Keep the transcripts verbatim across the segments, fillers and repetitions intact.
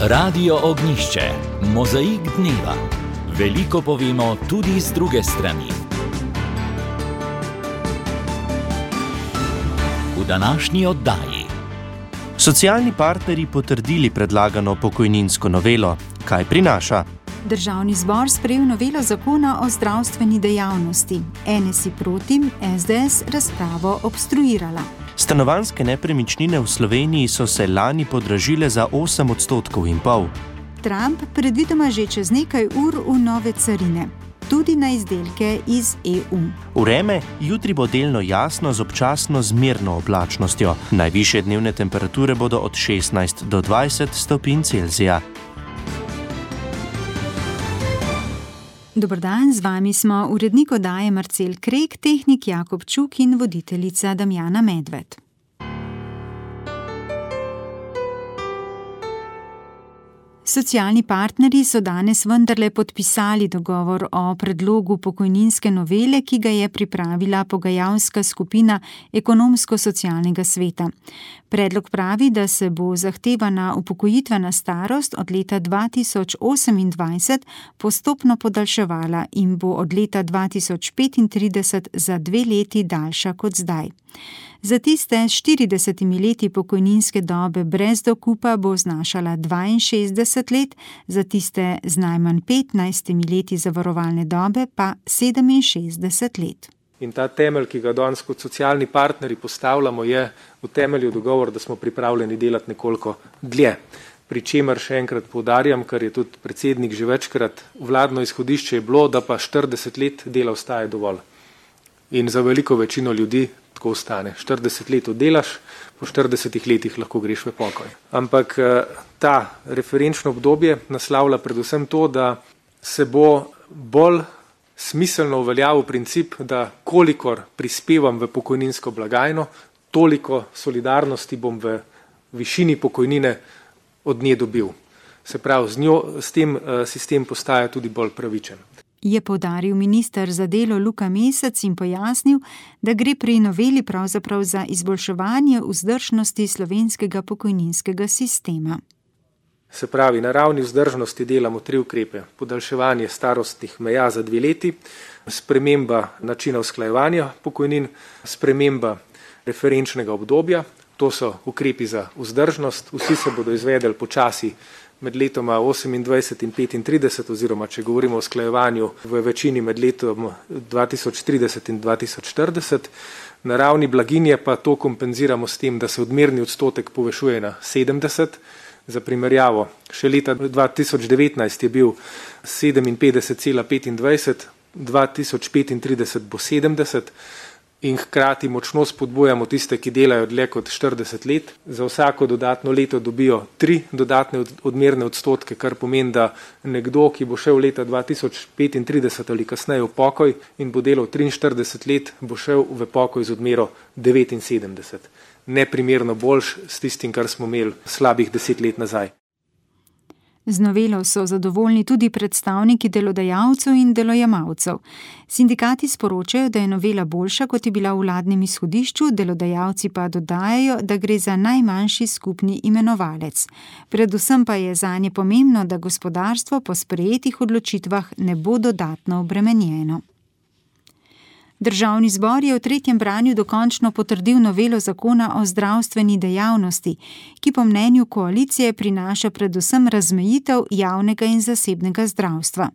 Radio Ognjišče, mozaik dneva. Veliko povemo tudi z druge strani. V današnji oddaji. Socialni partnerji potrdili predlagano pokojninsko novelo. Kaj prinaša? Državni zbor sprejel novelo zakona o zdravstveni dejavnosti. en es i proti, es de es razpravo obstruirala. Stanovanjske nepremičnine v Sloveniji so se lani podražile za osem odstotkov in pol. Trump predvidoma že čez nekaj ur v nove carine, tudi na izdelke iz e u. Vreme jutri bo delno jasno z občasno zmerno oblačnostjo. Najvišje dnevne temperature bodo od šestnajst do dvajset stopinj Celzija. Dober dan, z vami smo urednik oddaje Marcel Krek, tehnik Jakob Čuk in voditeljica Damjana Medved. Socialni partnerji so danes vendarle podpisali dogovor o predlogu pokojninske novele, ki ga je pripravila pogajalska skupina Ekonomsko-socialnega sveta. Predlog pravi, da se bo zahtevana upokojitvena starost od leta dva tisoč osemindvajset postopno podaljševala in bo od leta dva tisoč petintrideset za dve leti daljša kot zdaj. Za tiste s štiridesetimi leti pokojninske dobe brez dokupa bo znašala dvainšestdeset let, za tiste z najmanj petnajstimi leti zavarovalne dobe pa sedeminšestdeset let. In ta temelj, ki ga danes kot socialni partnerji postavljamo, je v temelju dogovor, da smo pripravljeni delati nekoliko dlje. Pričemer še enkrat poudarjam, kar je tudi predsednik že večkrat, vladno izhodišče je bilo, da pa štirideset let dela ostaje dovolj. In za veliko večino ljudi tako ostane. štirideset let oddelaš, po štiridesetih letih lahko greš v pokoj. Ampak ta referenčno obdobje naslavlja predvsem to, da se bo bolj smiselno uveljavil princip, da kolikor prispevam v pokojninsko blagajno, toliko solidarnosti bom v višini pokojnine od nje dobil. Se pravi, z njo, s tem sistem postaja tudi bolj pravičen. Je poudaril minister za delo Luka Mesec in pojasnil, da gre pri noveli pravzaprav za izboljševanje vzdržnosti slovenskega pokojninskega sistema. Se pravi, na ravni vzdržnosti delamo tri ukrepe. Podaljševanje starostnih meja za dve leti, sprememba načina usklajevanja pokojnin, sprememba referenčnega obdobja, to so ukrepi za vzdržnost, vsi se bodo izvedeli počasi med letoma osemindvajset in petintrideset, oziroma če govorimo o usklajevanju v večini med letom dva tisoč trideset in dva tisoč štirideset. Na ravni blaginje pa to kompenziramo s tem, da se odmerni odstotek povečuje na sedemdeset. Za primerjavo, še leta dva tisoč devetnajst je bil sedeminpetdeset cela petindvajset, dva tisoč petintrideset bo sedemdeset in hkrati močno spodbujamo tiste, ki delajo dlje kot štirideset let. Za vsako dodatno leto dobijo tri dodatne odmerne odstotke, kar pomeni, da nekdo, ki bo šel leta dva tisoč petintrideset ali kasneje v pokoj in bo delal triinštirideset let, bo šel v pokoj z odmero devetinsedemdeset. Neprimerno boljš s tistim, kar smo imeli slabih deset let nazaj. Z novelo so zadovoljni tudi predstavniki delodajalcev in delojemalcev. Sindikati sporočajo, da je novela boljša, kot je bila v vladnem izhodišču, delodajalci pa dodajajo, da gre za najmanjši skupni imenovalec. Predvsem pa je zanje pomembno, da gospodarstvo po sprejetih odločitvah ne bo dodatno obremenjeno. Državni zbor je v tretjem branju dokončno potrdil novelo zakona o zdravstveni dejavnosti, ki po mnenju koalicije prinaša predvsem razmejitev javnega in zasebnega zdravstva.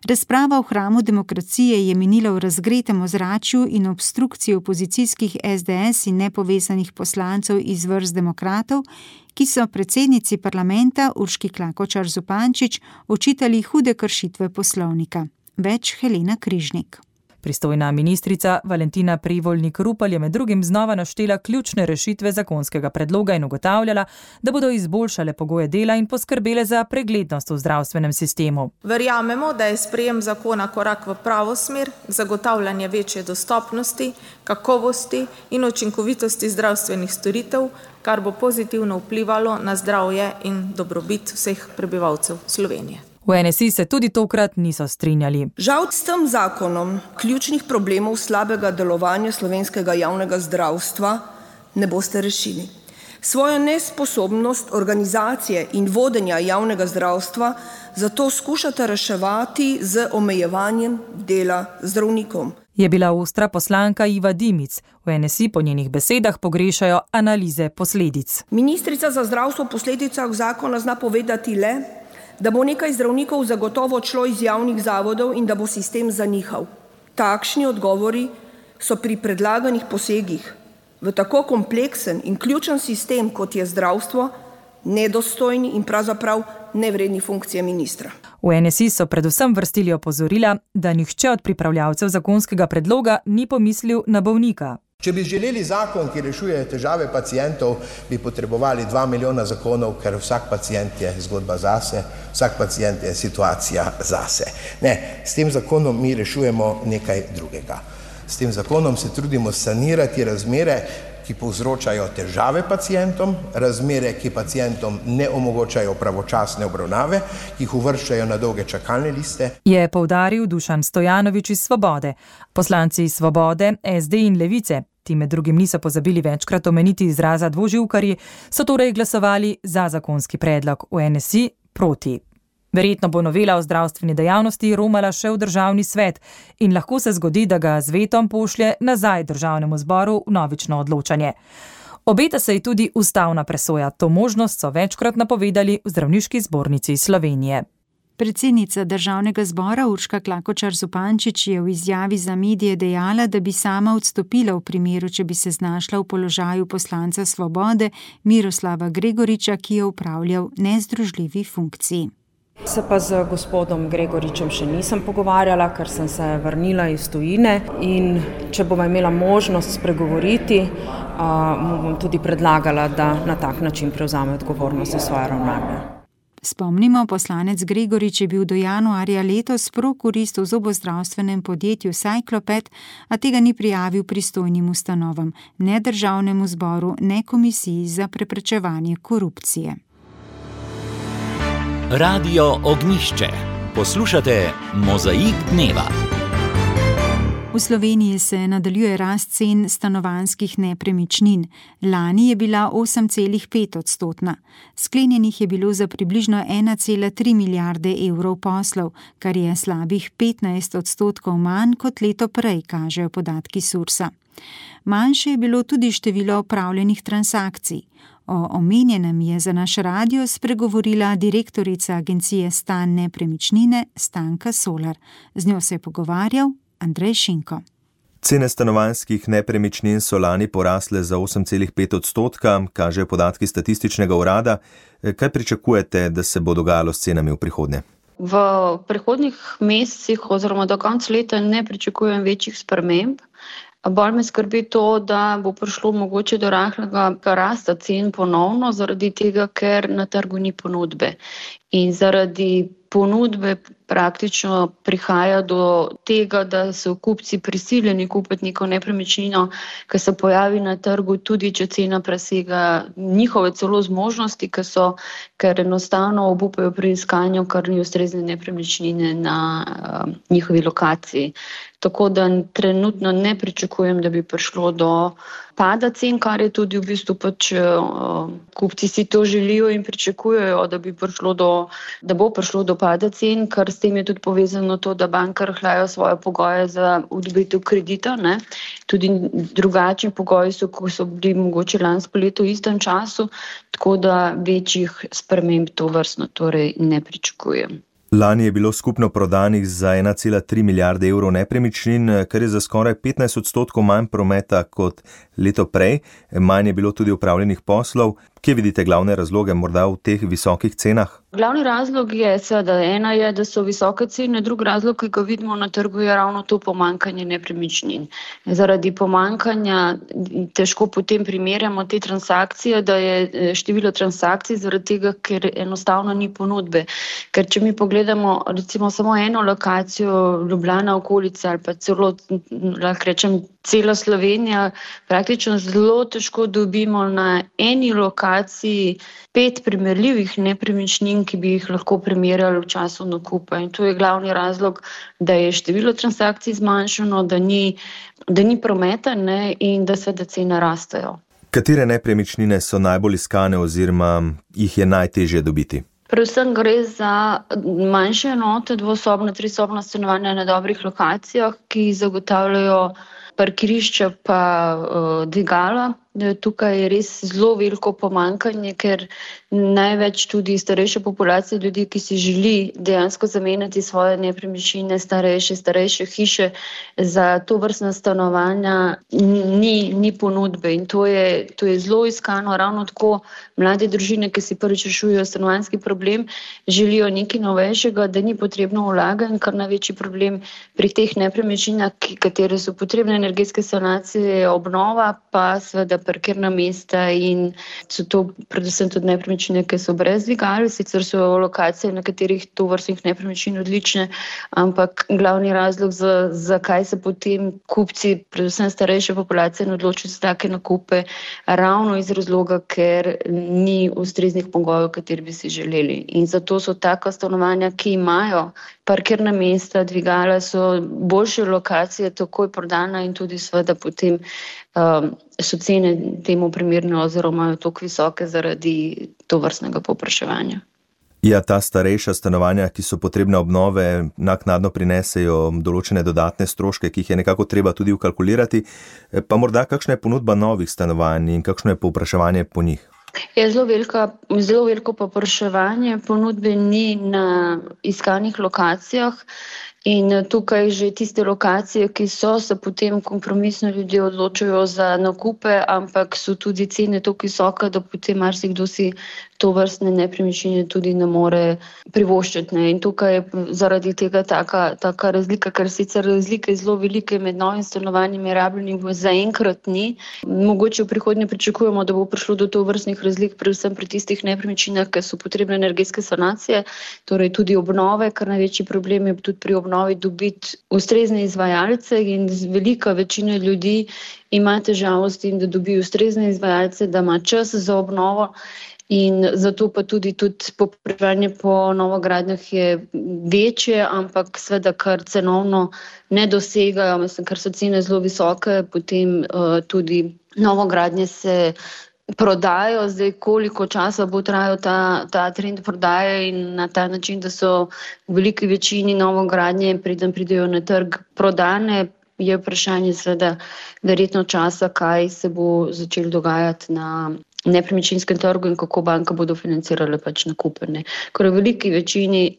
Razprava v hramu demokracije je minila v razgretem ozračju in obstrukciji opozicijskih es de es in nepovezanih poslancev iz vrst demokratov, ki so predsednici parlamenta Urški Klakočar Zupančič očitali hude kršitve poslovnika. Več Helena Križnik. Pristojna ministrica Valentina Prevolnik Rupel je med drugim znova naštela ključne rešitve zakonskega predloga in ugotavljala, da bodo izboljšale pogoje dela in poskrbele za preglednost v zdravstvenem sistemu. Verjamemo, da je sprejem zakona korak v pravo smer, zagotavljanje večje dostopnosti, kakovosti in učinkovitosti zdravstvenih storitev, kar bo pozitivno vplivalo na zdravje in dobrobit vseh prebivalcev Slovenije. V en es i se tudi tokrat niso strinjali. Žal s tem zakonom ključnih problemov slabega delovanja slovenskega javnega zdravstva ne boste rešili. Svojo nesposobnost organizacije in vodenja javnega zdravstva zato skušate reševati z omejevanjem dela zdravnikom. Je bila ostra poslanka Iva Dimic. V N S I po njenih besedah pogrešajo analize posledic. Ministrica za zdravstvo v posledicah zakona zna povedati le, da bo nekaj zdravnikov zagotovo odšlo iz javnih zavodov in da bo sistem zanihal. Takšni odgovori so pri predlaganih posegih v tako kompleksen in ključen sistem, kot je zdravstvo, nedostojni in pravzaprav nevredni funkcije ministra. V N S I so predvsem vrstili opozorila, da nihče od pripravljavcev zakonskega predloga ni pomislil na bolnika. Če bi želeli zakon, ki rešuje težave pacientov, bi potrebovali dva milijona zakonov, ker vsak pacient je zgodba zase, vsak pacient je situacija zase. Ne, s tem zakonom mi rešujemo nekaj drugega. S tem zakonom se trudimo sanirati razmere, ki povzročajo težave pacientom, razmere, ki pacientom ne omogočajo pravočasne obravnave, ki jih uvrščajo na dolge čakalne liste. Je poudaril Dušan Stojanovič iz Svobode. Poslanci iz Svobode, S D in Levice, ti med drugim niso pozabili večkrat omeniti izraza dvoživkarji, so torej glasovali za zakonski predlog, v N S I proti. Verjetno bo novela o zdravstveni dejavnosti romala še v državni svet in lahko se zgodi, da ga z vetom pošlje nazaj državnemu zboru v novično odločanje. Obeta se ji tudi ustavna presoja. To možnost so večkrat napovedali v Zdravniški zbornici Slovenije. Predsednica državnega zbora Urška Klakočar Zupančič je v izjavi za medije dejala, da bi sama odstopila v primeru, če bi se znašla v položaju poslanca Svobode Miroslava Gregoriča, ki je upravljal nezdružljivi funkciji. Se pa z gospodom Gregoričem še nisem pogovarjala, ker sem se vrnila iz tujine in če bom imela možnost spregovoriti, mu bom tudi predlagala, da na tak način prevzame odgovornost za svoje ravnanje. Spomnimo, poslanec Gregorič je bil do januarja letos prokurist v zobozdravstvenem podjetju Cycloped, a tega ni prijavil pristojnim ustanovam, ne državnemu zboru, ne komisiji za preprečevanje korupcije. Radio Ognjišče. Poslušate Mozaik dneva. V Sloveniji se nadaljuje rast cen stanovanjskih nepremičnin. Lani je bila osem celih pet odstotna. Sklenjenih je bilo za približno ena cela tri milijarde evrov poslov, kar je slabih petnajst odstotkov manj kot leto prej, kažejo podatki Sursa. Manjše je bilo tudi število opravljenih transakcij. O omenjenem je za naš radio spregovorila direktorica agencije Stan nepremičnine Stanka Solar. Z njo se je pogovarjal Andrej Šinko. Cene stanovanjskih nepremičnin so lani porasle za osem celih pet odstotka, kažejo podatki statističnega urada. Kaj pričakujete, da se bo dogajalo s cenami v prihodnje? V prihodnjih mesecih oziroma do konca leta ne pričakujem večjih sprememb. Bolj me skrbi to, da bo prišlo mogoče do rahlega rasta cen ponovno, zaradi tega, ker na trgu ni ponudbe. In zaradi ponudbe praktično prihaja do tega, da so kupci prisiljeni kupiti neko nepremičnino, ki se pojavi na trgu, tudi če cena presega njihove celo zmožnosti, ki so, ker enostavno obupajo pri iskanju kar ni ustrezne nepremičnine na uh, njihovi lokaciji. Tako da trenutno ne pričakujem, da bi prišlo do pada cen, kar je tudi v bistvu pač uh, kupci si to želijo in pričakujejo, da bi prišlo do, da bo prišlo do pada cen, ker s tem je tudi povezano to, da banke rahljajo svoje pogoje za odobritev kredita, ne. Tudi drugačni pogoji so, ko so bili mogoče lansko leto v istem času, tako da večjih sprememb tovrstno torej ne pričakujem. Lani je bilo skupno prodanih za ena cela tri milijarde evrov nepremičnin, kar je za skoraj petnajst odstotkov manj prometa kot leto prej. Manj je bilo tudi upravljenih poslov. Kje vidite glavne razloge morda v teh visokih cenah? Glavni razlog je, da ena je, da so visoke cene, drugi razlog, ki ga vidimo na trgu, je ravno to pomanjkanje nepremičnin. Zaradi pomanjkanja težko potem primerjamo te transakcije, da je število transakcij zaradi tega, ker enostavno ni ponudbe. Ker če mi pogledamo recimo samo eno lokacijo Ljubljana okolica ali pa celo, lahko rečem, cela Slovenija, praktično zelo težko dobimo na eni lokaciji pet primerljivih nepremičnin, ki bi jih lahko primerjali v času nakupa. In to je glavni razlog, da je število transakcij zmanjšano, da ni, da ni prometa, ne, in da seveda cene rastejo. Katere nepremičnine so najbolj iskane oziroma jih je najtežje dobiti? Predvsem gre za manjše enote, dvosobna, trisobna stanovanja na dobrih lokacijah, ki zagotavljajo parkirišča pa uh, dvigala. Tukaj je res zelo veliko pomanjkanje, ker največ tudi starejše populacije ljudi, ki si želi dejansko zamenjati svoje nepremičnine, starejše, starejše hiše za to vrstna stanovanja, ni, ni ponudbe in to je, to je zelo iskano. Ravno tako mlade družine, ki si prvič rešujejo stanovanjski problem, želijo nekaj novejšega, da ni potrebno vlagati, kar največji problem pri teh nepremičninah, katere so potrebne energetske sanacije, obnova, pa seveda parkirna mesta in so to predvsem tudi nepremičnine, ki so brez dvigal, sicer so lokacije, na katerih to vrstnih nepremičnin odlične, ampak glavni razlog, za, zakaj se potem kupci, predvsem starejše populacije, odločijo za take nakupe, ravno iz razloga, ker ni ustreznih pogojev, kateri bi si želeli. In zato so taka stanovanja, ki imajo parkirna mesta, dvigala, so boljše lokacije, takoj prodana in tudi seveda potem um, so cene temu primerne oziroma toliko visoke zaradi tovrstnega povpraševanja. Ja, ta starejša stanovanja, ki so potrebne obnove, naknadno prinesejo določene dodatne stroške, ki jih je nekako treba tudi vkalkulirati, pa morda kakšna je ponudba novih stanovanj in kakšno je povpraševanje po njih? Je zelo veliko, zelo veliko povpraševanje, ponudbe ni na iskanih lokacijah in tukaj že tiste lokacije, ki so, se potem kompromisno ljudje odločajo za nakupe, ampak so tudi cene toliko visoke, da potem marsikdo si to vrstne nepremičnine tudi ne more privoščiti. Ne. In tukaj je zaradi tega taka, taka razlika, ker sicer razlike zelo velike med novim stanovanjem in rabljenim zaenkrat ni. Mogoče v prihodnje pričakujemo, da bo prišlo do to vrstnih razlik, predvsem pri tistih nepremičninah, ki so potrebne energetske sanacije, torej tudi obnove, kar največji problem je tudi pri obnovi dobiti ustrezne izvajalce in velika večina ljudi ima težavo s tem, da dobi ustrezne izvajalce, da ima čas za obnovo. In zato pa tudi, tudi povpraševanje po novogradnjah je večje, ampak seveda, kar cenovno ne dosegajo, mislim, ker so cene zelo visoke, potem uh, tudi novogradnje se prodajo. Zdaj, koliko časa bo trajal ta, ta trend prodaje in na ta način, da so v veliki večini novogradnje, preden pridejo na trg, prodane, je vprašanje seveda verjetno časa, kaj se bo začelo dogajati na nepremičninskem trgu in kako banka bodo financirale pač nakupe. Ne. Ker v veliki večini,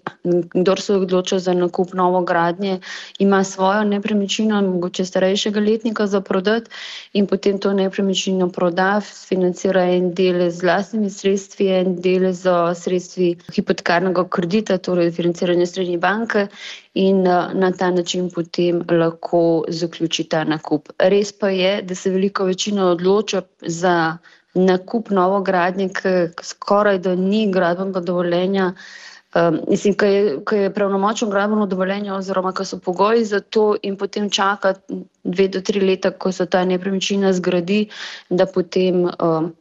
kdor se odloča za nakup novogradnje, ima svojo nepremičnino, mogoče starejšega letnika za prodati in potem to nepremičnino proda, financira en del z lastnimi sredstvi, en del z sredstvi hipotekarnega kredita, torej financiranje srednje banke in na ta način potem lahko zaključi ta nakup. Res pa je, da se velika večina odloča za nakup novogradnje, ki skoraj da ni gradbenega dovoljenja, um, mislim, ki je, ki je pravnomočno gradbeno dovoljenje oziroma ki so pogoji za to in potem čaka dve do tri leta, ko se ta nepremičnina zgradi, da potem um,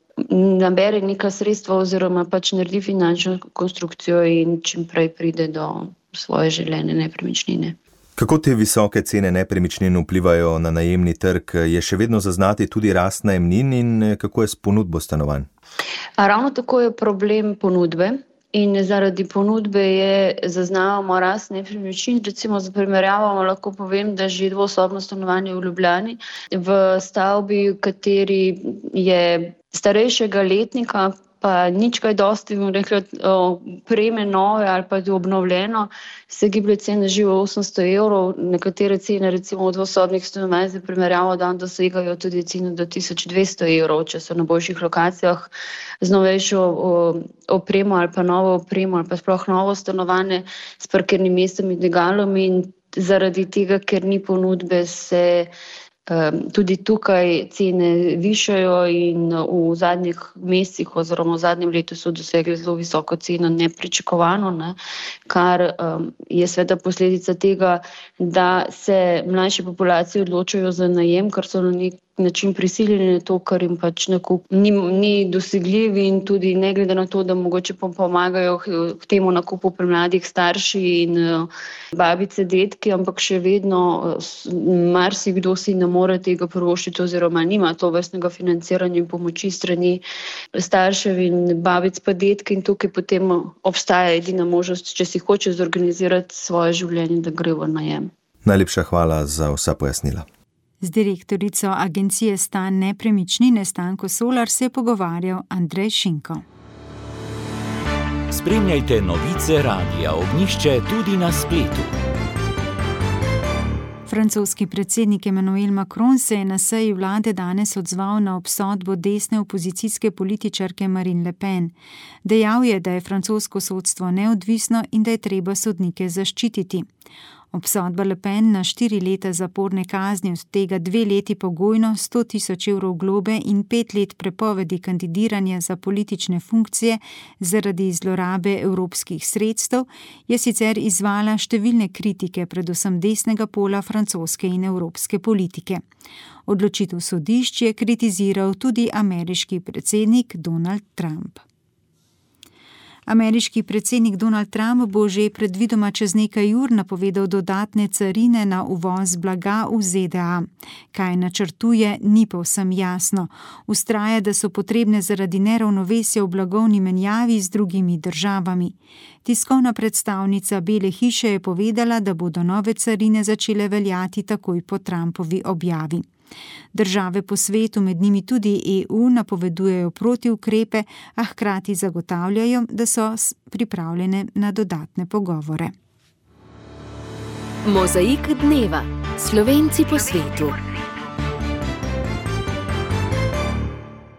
nabere neka sredstva oziroma pač naredi finančno konstrukcijo in čim prej pride do svoje želene nepremičnine. Kako te visoke cene nepremičnin vplivajo na najemni trg? Je še vedno zaznati tudi rast najemnin in kako je s ponudbo stanovanj? A ravno tako je problem ponudbe in zaradi ponudbe je zaznavamo rast nepremičnin. Recimo za primerjavo lahko povem, da že dvosobno stanovanje v Ljubljani v stavbi, v kateri je starejšega letnika, pa nič kaj dosti, bom rekla, opreme nove ali pa obnovljeno, se giblje cene že v osemsto evrov, nekatere cene recimo v dvosobnih stanovanj za primerjavo dan dosegajo tudi cene do tisoč dvesto evrov, če so na boljših lokacijah z novejšo opremo ali pa novo opremo ali pa sploh novo stanovanje s parkirnim mestom in dvigalom in zaradi tega, ker ni ponudbe, se Um, tudi tukaj cene višajo in v zadnjih mesecih oziroma v zadnjem letu so dosegli zelo visoko ceno nepričakovano, ne, kar um, je seveda posledica tega, da se mlajše populacije odločajo za najem, ker so na nek način prisiljeni na to, ker jim pač nakup ni, ni dosegljiv in tudi ne glede na to, da mogoče pomagajo k temu nakupu pri mladih starši in babice, detki, ampak še vedno marsikdo si ne more tega privoščiti oziroma nima to vrstnega financiranja in pomoči strani staršev in babic pa detki in tukaj potem obstaja edina možnost, če si hoče zorganizirati svoje življenje, da gre v najem. Najlepša hvala za vsa pojasnila. Z direktorico agencije Stan nepremičnine Stanko Solar se je pogovarjal Andrej Šinko. Spremljajte novice Radia Ognjišče tudi na spletu. Francoski predsednik Emmanuel Macron se je na seji vlade danes odzval na obsodbo desne opozicijske političarke Marine Le Pen. Dejal je, da je francosko sodstvo neodvisno in da je treba sodnike zaščititi. Obsodba Le Pen na štiri leta zaporne kazni, od tega dve leti pogojno, sto tisoč evrov globe in pet let prepovedi kandidiranja za politične funkcije zaradi zlorabe evropskih sredstev, je sicer izzvala številne kritike, predvsem desnega pola francoske in evropske politike. Odločitev sodišč je kritiziral tudi ameriški predsednik Donald Trump. Ameriški predsednik Donald Trump bo že predvidoma čez nekaj ur napovedal dodatne carine na uvoz blaga v Z D A. Kaj načrtuje, ni povsem jasno. Vztraja, da so potrebne zaradi neravnovesja v blagovni menjavi z drugimi državami. Tiskovna predstavnica Bele hiše je povedala, da bodo nove carine začele veljati takoj po Trumpovi objavi. Države po svetu, med njimi tudi E U, napovedujejo protiukrepe, a hkrati zagotavljajo, da so pripravljene na dodatne pogovore. Mozaik dneva. Slovenci po svetu.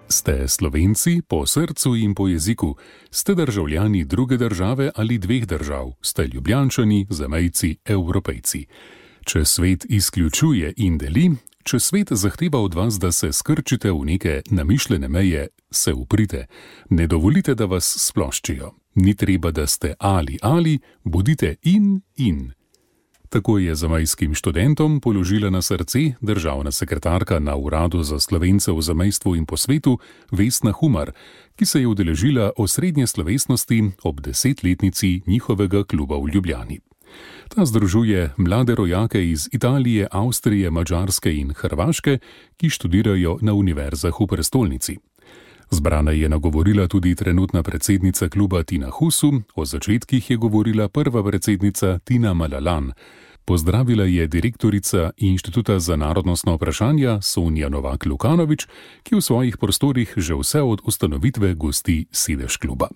Ste Slovenci po srcu in po jeziku? Ste državljani druge države ali dveh držav? Ste Ljubljančani, zamejci, Evropejci? Če svet izključuje in deli, če svet zahteva od vas, da se skrčite v neke namišljene meje, se uprite. Ne dovolite, da vas sploščijo. Ni treba, da ste ali ali, bodite in in. Tako je zamejskim študentom položila na srce državna sekretarka na Uradu za Slovence v zamejstvu in po svetu Vesna Humar, ki se je udeležila osrednje slovesnosti ob desetletnici njihovega kluba v Ljubljani. Ta združuje mlade rojake iz Italije, Avstrije, Madžarske in Hrvaške, ki študirajo na univerzah v prestolnici. Zbrana je nagovorila tudi trenutna predsednica kluba Tina Husu, o začetkih je govorila prva predsednica Tina Malalan. Pozdravila je direktorica Inštituta za narodnostna vprašanja Sonja Novak-Lukanovič, ki v svojih prostorih že vse od ustanovitve gosti sedež kluba.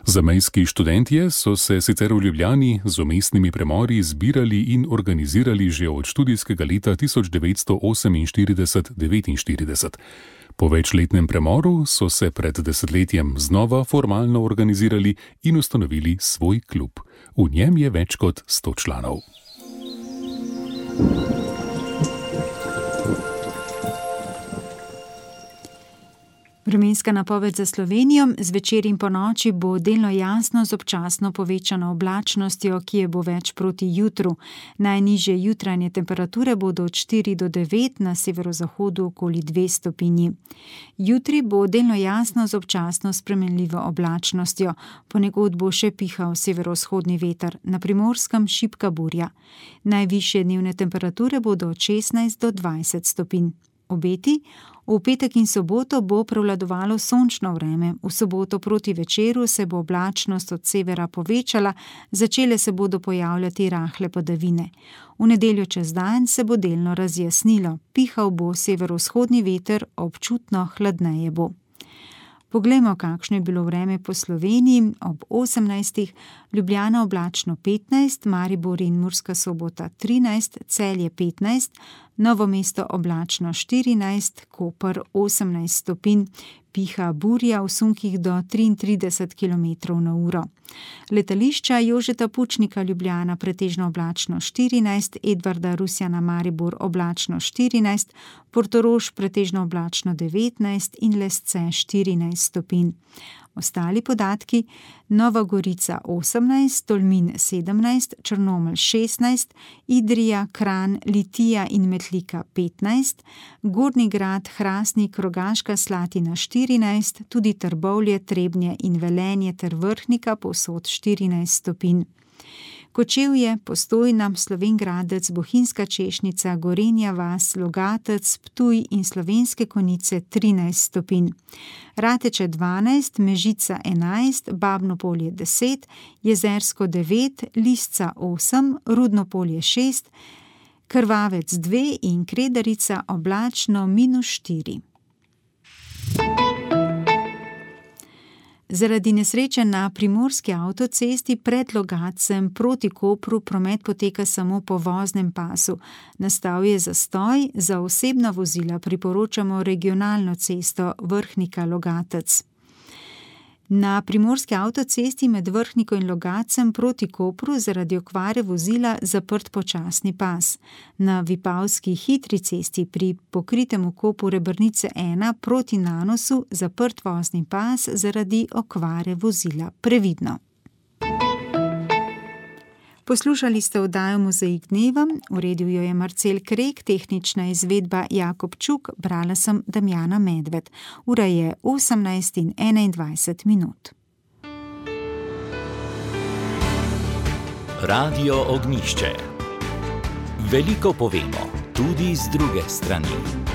Zamejski študentje so se sicer v Ljubljani z umestnimi premori zbirali in organizirali že od študijskega leta tisoč devetsto oseminštirideset devetinštirideset. Po večletnem premoru so se pred desetletjem znova formalno organizirali in ustanovili svoj klub. V njem je več kot sto članov. Vremenska napoved za Slovenijo. Zvečer in ponoči bo delno jasno z občasno povečano oblačnostjo, ki je bo več proti jutru. Najnižje jutranje temperature bodo od štiri do devet, na severozahodu okoli dve stopinji. Jutri bo delno jasno z občasno spremenljivo oblačnostjo. Ponekod bo še pihal severovzhodni veter, na Primorskem šibka burja. Najvišje dnevne temperature bodo od šestnajst do dvajset stopinj. Obeti. V petek in soboto bo prevladovalo sončno vreme, v soboto proti večeru se bo oblačnost od severa povečala, začele se bodo pojavljati rahle padavine. V nedeljo čez dan se bo delno razjasnilo, pihal bo severovzhodni veter, občutno hladneje bo. Poglejmo, kakšno je bilo vreme po Sloveniji. Ob osemnajstih Ljubljana oblačno petnajst, Maribor in Murska Sobota trinajst, Celje petnajst, Novo mesto oblačno štirinajst, Koper osemnajst stopinj, piha burja v sunkih do triintrideset kilometrov na uro. Letališča Jožeta Pučnika Ljubljana pretežno oblačno štirinajst, Edvarda Rusjana Maribor oblačno štirinajst, Portorož pretežno oblačno devetnajst in Lesce štirinajst stopinj. Ostali podatki: Nova Gorica osemnajst, Tolmin sedemnajst, Črnomelj šestnajst, Idrija, Kranj, Litija in Metlika petnajst, Gornji Grad, Hrastnik, Rogaška Slatina štirinajst, tudi Trbovlje, Trebnje in Velenje ter Vrhnika povsod štirinajst stopinj. Kočevje, Postojna, Slovenj Gradec, Bohinjska Češnica, Gorenja vas, Logatec, Ptuj in Slovenske Konjice trinajst stopinj. Rateče dvanajst, Mežica enajst, Babno Polje deset, Jezersko devet, Lisca osem, Rudno Polje šest, Krvavec dve in Kredarica oblačno minus štiri. Zaradi nesreče na primorski avtocesti pred Logatcem proti Kopru promet poteka samo po voznem pasu. Nastal je zastoj, za osebna vozila priporočamo regionalno cesto Vrhnika-Logatec. Na primorski avtocesti med Vrhniko in Logatcem proti Kopru zaradi okvare vozila zaprt počasni pas. Na Vipavski hitri cesti pri pokritem vkopu Rebrnice ena proti Nanosu zaprt vozni pas zaradi okvare vozila. Previdno. Poslušali ste oddajo Mozaik dneva, uredil jo je Marcel Krek, tehnična izvedba Jakob Čuk, brala sem Damjana Medved. Ura je osemnajst in enaindvajset minut. Radio Ognjišče. Veliko povemo, tudi z druge strani.